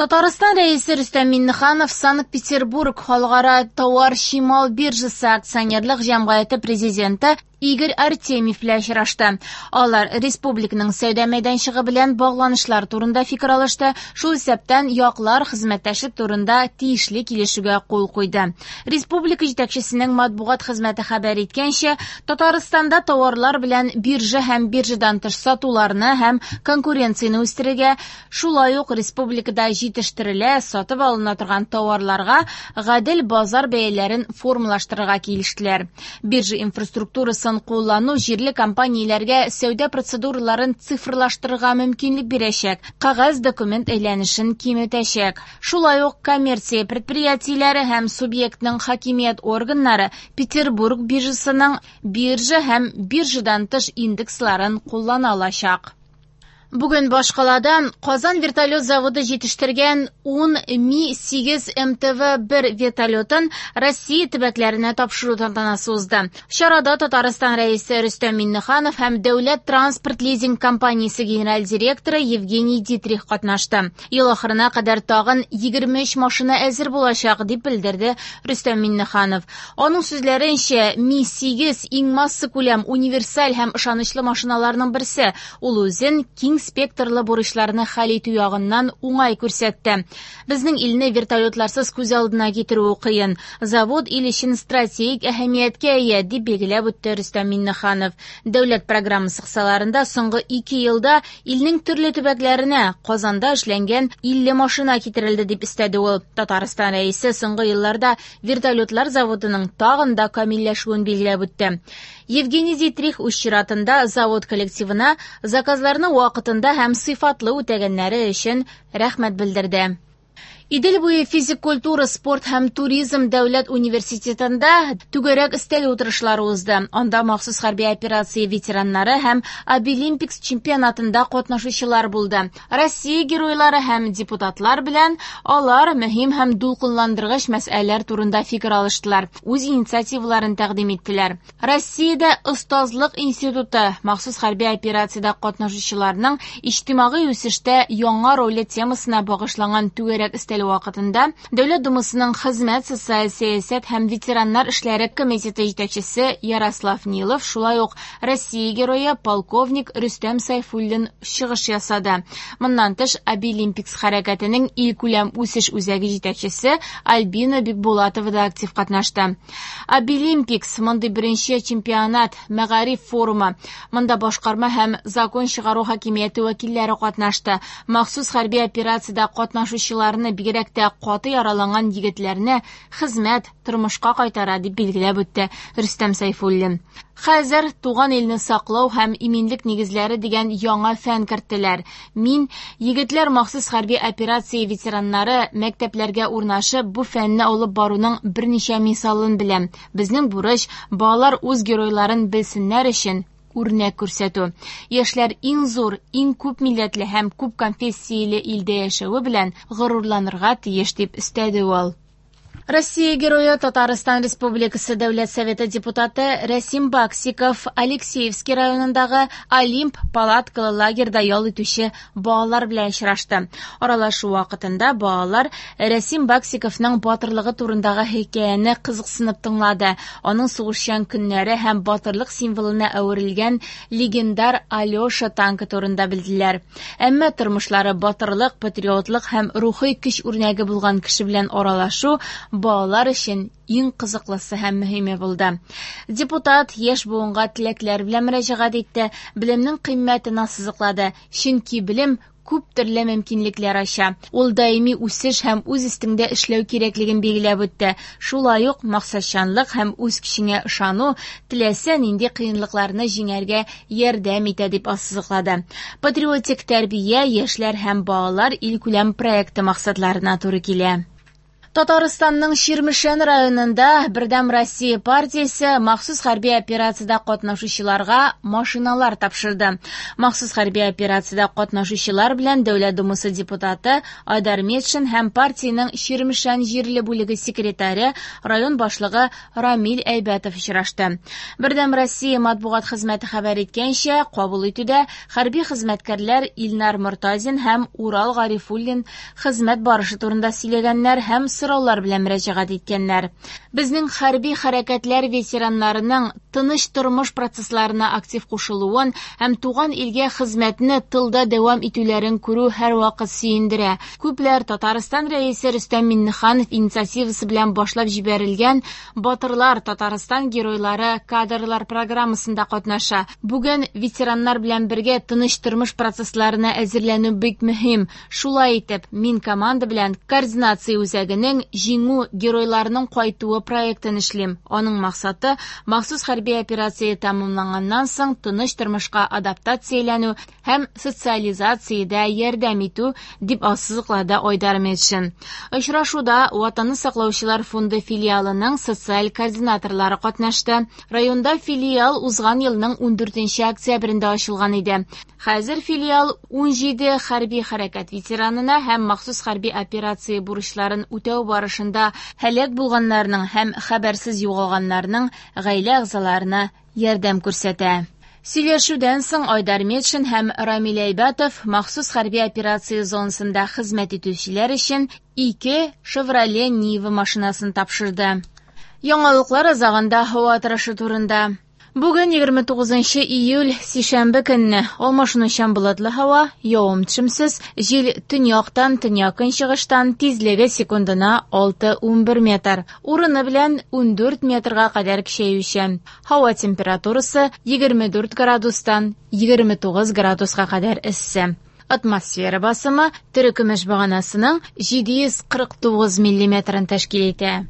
Татарстан Рәисе Рөстәм Миңнеханов Санкт-Петербург халыкара товар-чимал биржасы акционерлык җәмгыяте президенты Игорь Артемьев белән очрашты. Алар республиканың сәүдә мәйданчыгы белән багланышлар турында фикер алышты, шул исәптән яклар хезмәттәшлек турында тиешле килешүгә кул куйды. Республика җитәкчесенең матбугат хезмәте хәбәр иткәнчә, Татарстанда товарлар белән биржа һәм биржадан тыш сатуларны һәм конкуренцияне үстерергә, шулай ук республикада җитештерелә, сатып алына торган товарларга гадел базар бәяләрен формалаштырырга килештеләр. Биржа инфраструктурасын куллану җирле компанияләргә сәүдә процедураларын цифрлаштырырга мөмкинлек бирәчәк, кәгазь документ әйләнешен киметәчәк. Шулай ук коммерция предприятиеләре һәм субъектның хакимият органнары Петербург биржасының биржа һәм биржадан тыш индексларын куллана алачак. Бүген башкалада Казан вертолет заводы җитештергән 10 Ми-8 МТВ-1 вертолетын Россия төбәкләренә тапшыру тантанасы узды. Чарада Татарстан Рәисе Рөстәм Миңнеханов һәм Дәүләт транспорт лизинг компаниясе генераль директоры Евгений Дитрих катнашты. Ел ахырына кадәр тагын 23 машина әзер булачак, дип белдерде Рөстәм Миңнеханов. Аның сүзләренчә, Ми-8 иң массакүләм, универсаль һәм ышанычлы машиналарның берсе. Ул үзен киң спектрлы бурычларны хәл итү ягыннан уңай күрсәтте. Безнең илне вертолетларсыз күз алдына китерүе кыен. Завод ил өчен стратегик әһәмияткә ия, дип билгеләп үтте Рөстәм Миңнеханов. Дәүләт программасы кысаларында соңгы 2 елда илнең төрле төбәкләренә Казанда эшләнгән 50 машина китерелде, дип өстәде ул. Татарстан Рәисе соңгы елларда вертолетлар заводының тагын да камилләшүен билгеләп үтте. Евгений Дитрих үз чиратында завод коллективына заказларны вакытында һәм сыйфатлы үтәгәннәре өчен рәхмәт белдерде. Идел буе физик культура, спорт һәм туризм дәүләт университетында түгәрәк өстәл утырышлары узды. Анда махсус хәрби операция ветераннары һәм Абилимпикс чемпионатында катнашучылар булды. Россия геройлары һәм депутатлар белән алар мөһим һәм дулкынландыргыч мәсьәләләр турында фикер алыштылар, үз инициативаларын тәкъдим иттеләр. Россиядә остазлык институты махсус хәрби операциядә катнашучыларның иҗтимагый үсештә яңа роле темасына багышланган түгәрәк өстәл вакытында Дәүләт Думасының хезмәт, социаль сәясәт һәм ветераннар эшләре комитеты җитәкчесе Ярослав Нилов, шулай ук Россия герое полковник Рөстәм Сайфуллин чыгыш ясады. Моннан тыш, Абилимпикс хәрәкәтенең илкүләм үсеш үзәге җитәкчесе Альбина Бикбулатова да актив катнашты. Абилимпикс мондый беренче чемпионат, мәгариф форумы. Монда башкарма һәм закон чыгару хакимияте вәкилләре катнашты. Махсус хәрби операциядә катнашучыларны, бигрәк тә каты яраланган егетләрне хезмәт, тормышка кайтара, дип билгеләп үтте Рөстәм Сайфуллин. Хәзер туган илне саклау һәм иминлек нигезләре дигән яңа фән керттеләр. Мин егетләр махсус хәрби операция ветераннары мәктәпләргә урнашып бу фәнне алып баруның берничә мисалын беләм. Безнең бурыч балалар үз геройларын белсеннәр өчен үрнәк күрсәтү. Яшьләр иң зур, иң күп милләтле һәм күп конфессияле илдә яшәве белән горурланырга тиеш, дип өстәде ул. Россия герое Татарстан Республикасы Дәүләт Советы депутаты Рәсим Баксиков Алексеевский районындагы Олимп палаткалы лагерьда ял итүче балалар белән очрашты. Аралашу вакытында балалар Рәсим Баксиковның батырлыгы турындагы хикәяне кызыксынып тыңлады. Аның сугышчан көннәре һәм батырлык символына әверелгән легендар Алёша танкы турында белделәр. Әмма тормышлары батырлык, патриотлык һәм рухи көч үрнәге булган кеше белән аралашу балалар өчен иң кызыклысы һәм мөһиме булды. Депутат яшь буынга теләкләр белән мөрәҗәгать итте, белемнең кыйммәтен ассызыклады, чөнки белем күп төрле мөмкинлекләр ача. Ул даими үсеш һәм үз өстеңдә эшләү кирәклеген билгеләп үтте. Шулай ук максатчанлык һәм үз көчеңә ышану теләсә нинди кыенлыкларны җиңәргә ярдәм итә, дип ассызыклады. Патриотик тәрбия яшьләр һәм балалар илкүләм проекты максатларына туры килә. Татарстанның Чирмешән районында Бердәм Россия партиясе махсус хәрби операциядә катнашучыларга машиналар тапшырды. Махсус хәрби операциядә катнашучылар белән Дәүләт Думасы депутаты Айдар Метшин һәм партиянең Чирмешән җирле бүлеге секретаре, район башлыгы Рамил Әйбәтов очрашты. Бердәм Россия матбугат хезмәте хәбәр иткәнчә, кабул итүдә хәрби хезмәткәрләр Илнар Мортазин һәм Урал Гарифуллин хезмәт барышы турында сөйләгәннәр һәм сораулар белән мөрәҗәгать иткәннәр. Безнең хәрби хәрәкәтләр ветераннарының тыныч тормыш процессларына актив кушылуын һәм туган илгә хезмәтне тылда дәвам итүләрен күрү һәрвакыт сөендерә. Күпләр Татарстан Рәисе Рөстәм Миңнеханов инициативасы белән башлап җибәрелгән Батырлар Татарстан геройлары кадрлар программасында катнаша. Бүген ветераннар белән бергә тыныч тормыш процессларына әзерләнү бик мөһим. Шулай итеп, мин команда белән координация үзәгенең Җиңү геройларының кайтуы проектын эшлим. Аның максаты махсус хәрби операция тәмамланганнан соң тыныч тормышка адаптацияләнү һәм социализациядә ярдәм итү, дип ассызыклады Айдар Метшин. Очрашуда Ватанны саклаучылар фонды филиалының социаль координаторлары катнашты. Районда филиал узган елның 14 октябрендә ачылган иде. Хәзер филиал 17 хәрби хәрәкәт ветеранына һәм махсус хәрби операция бурычларын үтәү барышында һәлак булганнарның һәм хәбәрсез югалганнарның гаилә әгъзаларына ярдәм күрсәтә. Сөйләшүдән соң Айдар Метшин һәм Рамил Әйбәтов махсус хәрби операция зонасында хезмәт итүчеләр өчен 2 Chevrolet Niva машинасын тапшырды. Яңалыклар азагында һава торышы турында. Бүген 29 июль, сишәмбе көнне алмашынучан болытлы һава, явым-төшемсез, җил төньяктан, төньяк-көнчыгыштан, тизлеге секундына 6-11 метр, урыны белән 14 метрга кадәр көчәючән. Һава температурасы 24 градустан 29 градуска кадәр эссе. Атмосфера басымы терекөмеш баганасының 749 миллиметрын тәшкил итә.